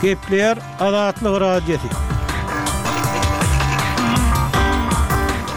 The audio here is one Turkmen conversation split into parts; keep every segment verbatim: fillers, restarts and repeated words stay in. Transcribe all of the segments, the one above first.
Gepleýär Azatlyk Radiosy.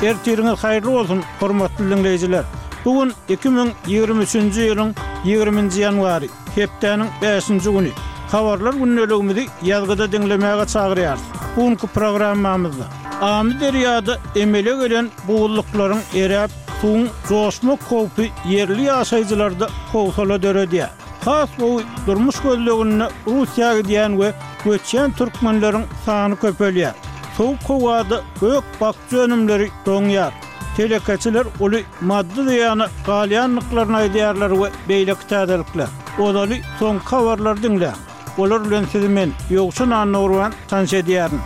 Ertiriňiz haýyrly bolsun, hormatly diňleýjiler! Bu gün iki müň ýigrimi üçünji ýylyň ýigriminji ýanwary, hepdäniň bäşinji güni. Habarlar gündeligimizi ýazgyda diňlemäge çagyrýarys. Bu günki programmamyzda Amyderýada emele gelen buzluklaryň eräp, suwuň joşmak howpy ýerli ýaşaýjylarda howsala döredýär. Has gowy durmuş gözleginde Russiýa gidýän we göçýän türkmenleriň sany köpelýär. Sowuk howada gök-bakja önümleri doňýar. Telekeçiler uly maddy zyýana galýandyklaryny aýdýarlar we beýleki täzelikler. Ozaly soňky habarlary diňläň. Olar bilen sizi men, Ýowşan Annagurban, tanyş edýärin.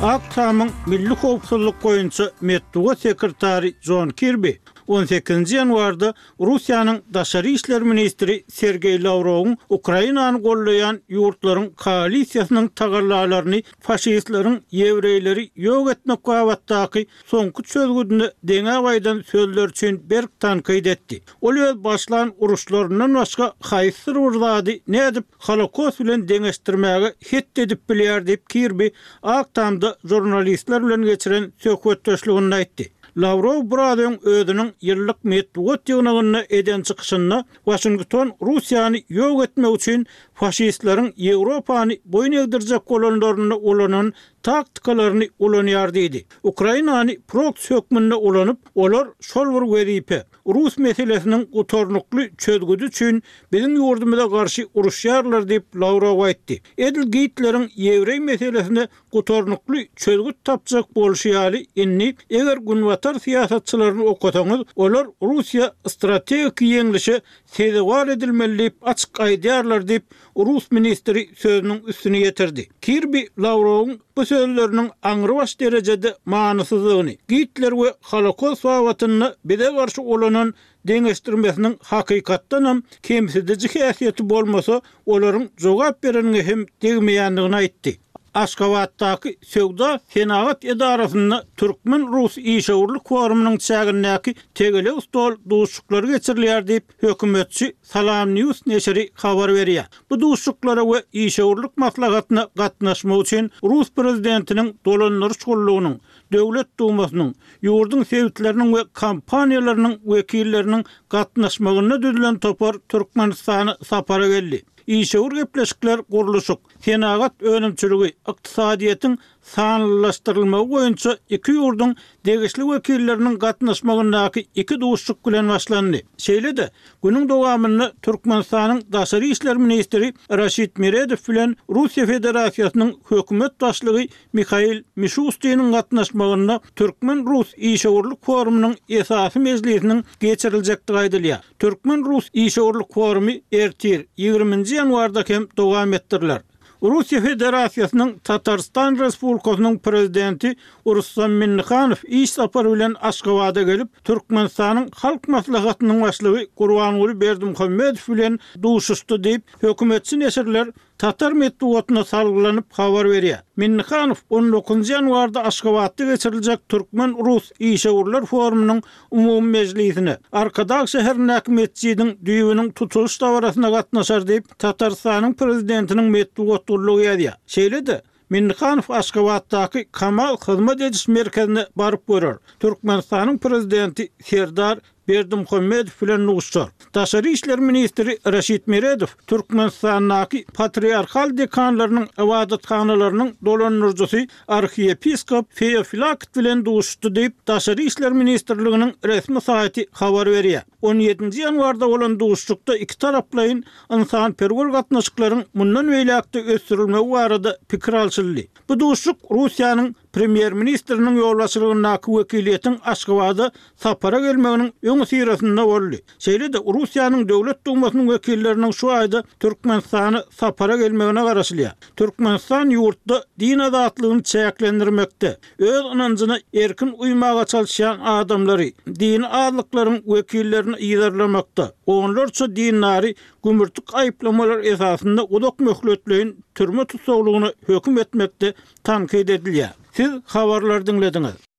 Ak Tamyň milli howpsuzlyk boýunça metbugat sekretary Jon Kirbi on sekizinji ýanwarda Russiýanyň daşary işler ministri Sergeý Lawrowyň Ukrainany goldaýan ýurtlaryň koalisiýasynyň tagallalaryny faşistleriň ýewreýleri ýok etmek babatdaky soňky çözgüdine deňäp aýdan sözleri üçin berk tankyt etdi. Ol öz başlan uruşlaryndan başga haýsydyr bir zady nädip Holokost bilen deňeşdirmäge het edip bilýär diýip, Kirbi Ak Tamda žurnalistler bilen geçiren söhbetdeşliginde aýtdy. Lawrow biraz öň özüniň ýyllyk metbugat ýygnagynda eden çykyşynda Waşington Russiýany ýok etmek üçin faşistleriň Ýewropany boýun egdirjek bolanlarynda ulanan taktikalaryny ulanýar diýdi. Ukrainany proksi hökmünde ulanyp, olar şol bir wezipe, rus meselesiniň gutarnykly çözgüdi üçin biziň ýurdumyza garşy uruşýarlar diýip, Lawrow aýtdy. Edil Gitleriň ýewreý meselesine gutarnykly çözgüt tapjak bolşy ýaly, indi, eger günbatar syýasatçylaryny okasaňyz, olar Russiýa strategiki ýeňlişe sezewar edilmeli diýip açyk aýdýarlar diýip, rus ministri sözüniň üstüni ýetirdi. Kirbi Lawrowyň bu sözleriniň aňrybaş derejede manysyzdygyny, Gitler we Holokost babatynda bize garşy ulanan deňeşdirmesiniň hakykatdanam kemsidiji häsiýeti bolmasa, olaryň jogap bereniňe hem degmeýändigini aýtdy. Aşgabatdaky Söwda-senagat edarasynda türkmen-rus işewürlik forumynyň çägindäki tegelek stol duşuşyklary geçirilýär diýip, hökümetçi SalamNews neşiri habar berýär. Bu duşuşyklara we işewürlik maslahatyna gatnaşmak üçin rus prezidentiniň dolandyryş gullugynyň, Döwlet Dumasynyň, ýurduň sebitleriniň we kompaniýalarynyň wekilleriniň gatnaşmagynda düzülen topar Türkmenistana sapara geldi. Işewür gepleşikler gurluşyk, senagat önümçiligi, ykdysadyýetiň sanlylaşdyrylmagy boýunça iki ýurduň degişli wekilleriniň gatnaşmagyndaky iki duşuşyk bilen başlandy. Şeýle-de, günüň dowamynda Türkmenistanyň daşary işler ministri Raşid Meredow bilen Russiýa Federasiýasynyň Hökümet başlygy Mihail Mişustiniň gatnaşmagynda türkmen-rus işewürlik forumynyň esasy mejlisiniň geçiriljekdigi aýdylýar. Türkmen-rus işewürlik forumy ertir, ýigriminji ýanwarda hem dowam etdiriler. Russiýa Federasiýasynyň Tatarystan Respublikasynyň Prezidenti Rustam Minnihanow iş sapary bilen Aşgabada gelip, Türkmenistanyň Halk Maslahatynyň Başlygy Gurbanguly Berdimuhamedow bilen duşuşdy diýip, hökümetçi neşirler Tatar metbugatyna salgylanyp habar berýär. Minnihanow on dokuzynjy ýanwarda Aşgabatda geçiriljek türkmen-rus işewürler forumynyň umumy mejlisine, Arkadag şäherindäki metjidiň düýbüniň tutulyş dabarasyna gatnaşar diýip, Tatarystanyň prezidentiniň metbugat gullugy ýazýar. Şeýle-de, Minnihanow Aşgabatdaky Kamal hyzmat ediş merkezine baryp görer. Türkmenistanyň prezidenti Serdar Berdimuhamedow bilen duşuşar. Daşary işler ministri Raşid Meredow Türkmenistandaky patriarhal dekanlarynyň ybadathanalarynyň dolandyryjysy arhiýepiskop Feofilakt bilen duşuşdy diýip, Daşary işler ministrliginiň resmi saýty habar berýär. On ýedinji ýanwarda bolan duşuşykda ikitaraplaýyn ynsanperwer gatnaşyklaryň mundan beýläk-de ösdürilmegi barada pikir alşyldy. Bu duşuşyk Russiýanyň Premýer-ministriniň ýolbaşçylygyndaky wekiliýetiň Aşgabada sapara gelmeginiň öňüsyrasynda boldy. Şeýle-de Russiýanyň Döwlet Dumasynyň wekilleriniň şu aýda Türkmenistana sapara gelmegine garaşylýar. Türkmenistan ýurtda din azatlygyny çäklendirmekde, öz ynanjyna erkin uýmaga çalyşýan adamlary, dini azlyklaryň wekillerini yzarlamakda, onlarça dindary gümürtik aýyplamalar esasynda uzak möhletleýin türme tussaglygyna höküm etmekde tankyt edilýär. Siz habarlary diňlediňiz.